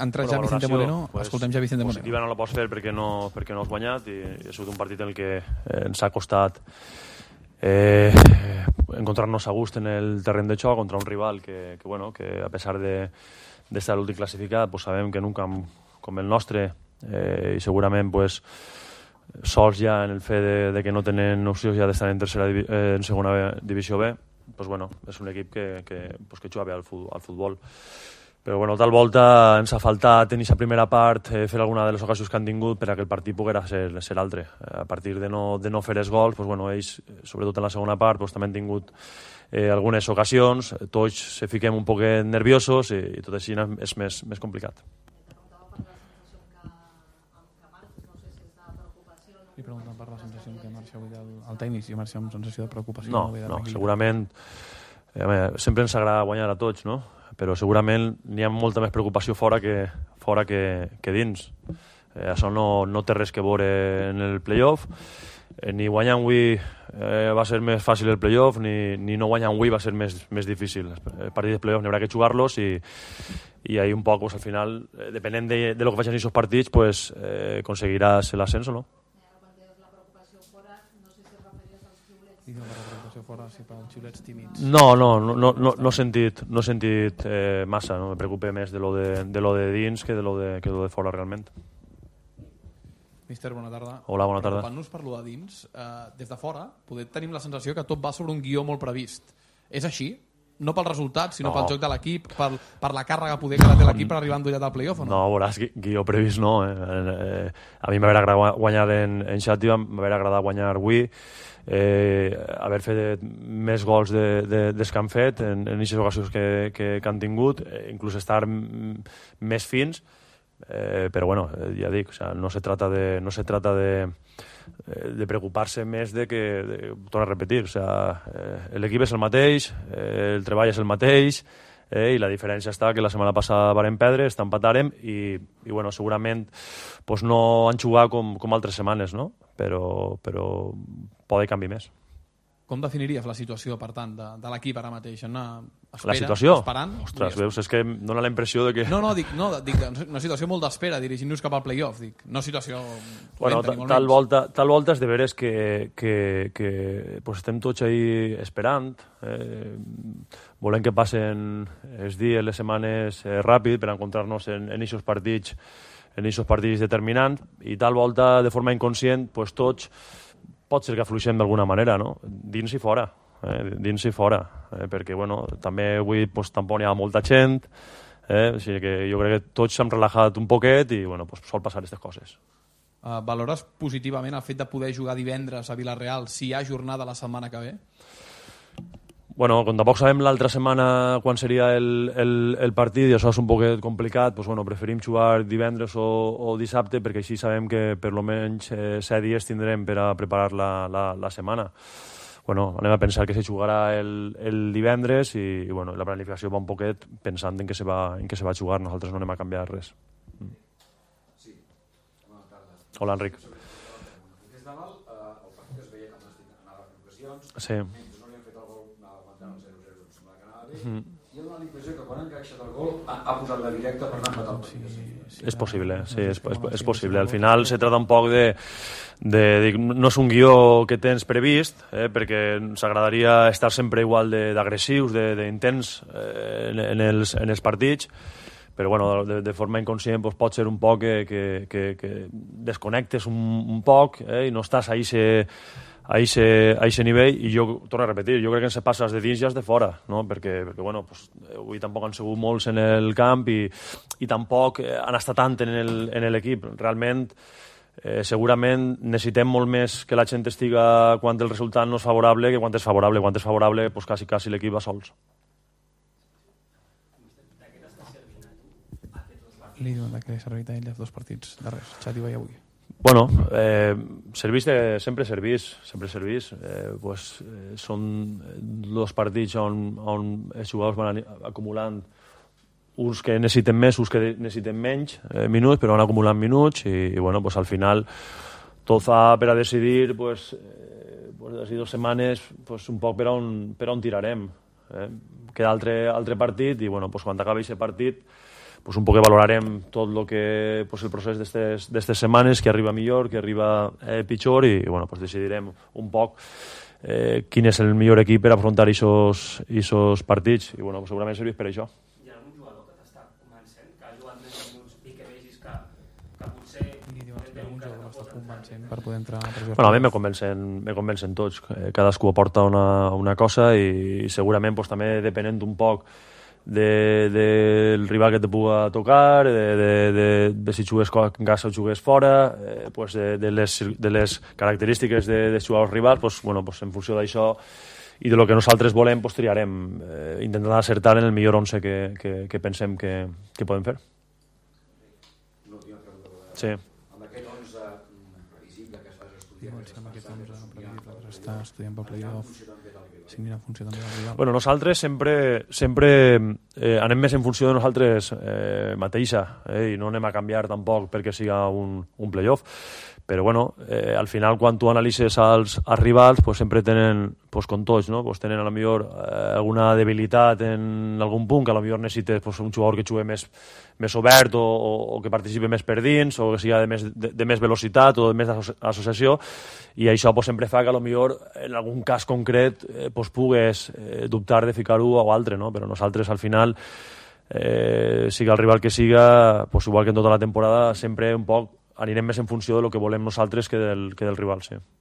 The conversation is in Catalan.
entra ja Vicente Moreno, escoltem ja Vicente Moreno. Positiva no la pots fer perquè no has guanyat i ha sigut un partit en el que ens ha costat encontrar-nos a gust en el terreny de xoc contra un rival que a pesar de estar l'últim classificat, pues sabem que en un camp com el nostre i segurament pues sols ja en el fet de que no tenen opcions ja d'estar en segona divisió B, pues és un equip que juga bé al futbol. Però tal volta ens ha faltat en aquesta primera part fer alguna de les ocasions que han tingut per a que el partit poguera ser altre. A partir de no fer els gols, ells, sobretot en la segona part, també han tingut algunes ocasions, tots se fiquem un poc nerviosos i tot així és més complicat. Li pregunten per la sensació que marxa avui el tècnic, si marxa amb sensació de preocupació. No, segurament sempre ens agrada guanyar a tots, no? Però segurament n'hi ha molta més preocupació fora que dins. Això no té res que veure en el play-off, ni guanyar avui va ser més fàcil el play-off, ni no guanyar avui va ser més difícil. Els partits de play-off n'hi haurà que jugar-los i ahí un poc, al final, depenent de lo que facin aquests partits, aconseguiràs l'ascens o no. No he sentit massa, no me preocupa més de lo de dins que de lo de fora realment. Mister, bona tarda. Hola, bona tarda. Preocupant-nos per lo de dins, des de fora tenim la sensació que tot va sobre un guió molt previst. És així? No pel resultat, sinó pel joc de l'equip, per la càrrega poder que té l'equip per arribar endollat al play-off, o no? No, veuràs, guió previst no. A mi m'haver agradat guanyar en Xàtiva, m'haver agradat guanyar avui, haver fet més gols des que han fet en aquestes ocasions que han tingut, inclús estar més fins, però ja dic, no se trata de preocupar-se més de que, torno a repetir, l'equip és el mateix, el treball és el mateix, i la diferència està que la setmana passada varen perdre, empatàrem i segurament no han jugat com altres setmanes, no? Però pot canviar més. Com definiries la situació, per tant, de l'equip ara mateix? La situació? Esperant? Ostres, veus, és que em dóna la impressió de que... Dic una situació molt d'espera, dirigint-nos cap al play-off, dic. No situació... Tal volta és de veres que estem tots ahí esperant, volem que passen els dies, les setmanes ràpid per encontrar-nos en aquests partits determinants i tal volta, de forma inconscient, tots pot ser que afluixem d'alguna manera, no? Dins i fora, perquè també avui tampoc hi ha molta gent, o sigui que jo crec que tots s'han relaxat un poquet i sol passar aquestes coses. Valores positivament el fet de poder jugar divendres a Vila-real si hi ha jornada la setmana que ve? Com tampoc sabem l'altra setmana quan seria el partit i això és un poquet complicat, preferim jugar divendres o dissabte perquè així sabem que per almenys 7 dies tindrem per a preparar la setmana. Anem a pensar que se jugarà el divendres i la planificació va un poquet pensant en què se va jugar, nosaltres no anem a canviar res. Sí, bona tarda. Hola, Enric. Des de dalt, el partit es veia com anava en ocasions, sí. I dona la impressió que quan ha encaixat el gol ha posat la directa per anar a empatar el partit. És possible, sí, és possible. Al final se trata un poc de no és un guió que tens previst, perquè ens agradaria estar sempre igual d'agressius, d'intens en els partits, però de forma inconscient pot ser un poc que desconnectes un poc i no estàs a aquest nivell, i jo torno a repetir, jo crec que ens passes de dins ja de fora, no? perquè avui tampoc han sigut molts en el camp i tampoc han estat tant en l'equip. Realment, segurament necessitem molt més que la gent estiga quan el resultat no és favorable que quan és favorable. Quan és favorable, quasi l'equip va sols. Li diuen que ha servit a ell els 2 partits darrers, Xàtiva i avui. Sempre servís. Són 2 partits on els jugadors van acumulant uns que necessiten més, uns que necessiten menys minuts, però van acumulant minuts i al final tot fa per a decidir d'ací 2 setmanes un poc per on tirarem. Queda altre partit i quan acabi aquest partit pues un poc valorarem tot el que pues el procés d'estes setmanes, que arriba millor, que arriba pitjor, i bueno, pues decidirem un poc quin és el millor equip per afrontar aquests partits, i bueno, pues segurament serveix per això. Hi ha algun jugador que t'està convencent, que ha jugat més minuts i que vegis que potser per poder entrar a pressió? Bueno, a mi me convencen tots, cadascú aporta una cosa, i segurament pues, també depenent un poc del rival que te puga tocar, de si jugues en casa o jugues fora, pues de les característiques de jugadors rivals, pues, bueno, pues en funció d'això i de lo que nosaltres volem, pues triarem, intentant acertar en el millor 11 que pensem que podem fer. L'última pregunta. Sí. Amb aquest 11 previsible que estàs estudiant, Està estudiant pel playoff. Sí, mira, funció també del rival. Bueno, nosaltres sempre anem més en funció de nosaltres mateixa, i no anem a canviar tampoc perquè siga un playoff, però bueno, al final quan tu analitzes als rivals pues sempre tenen, pues com tots, no? Pues tenen a lo millor alguna debilitat en algun punt, que a lo millor necessites pues, un jugador que jugui més obert o que participi més per dins, o que sigui de més velocitat o de més associació, i això pues, sempre fa que a lo millor en algun cas concret pues, pugues dubtar de ficar-ho o altre, no? Però nosaltres al final siga el rival que siga, pues, igual que en tota la temporada, sempre un poc anirem més en funció del que volem nosaltres que del rival, sí.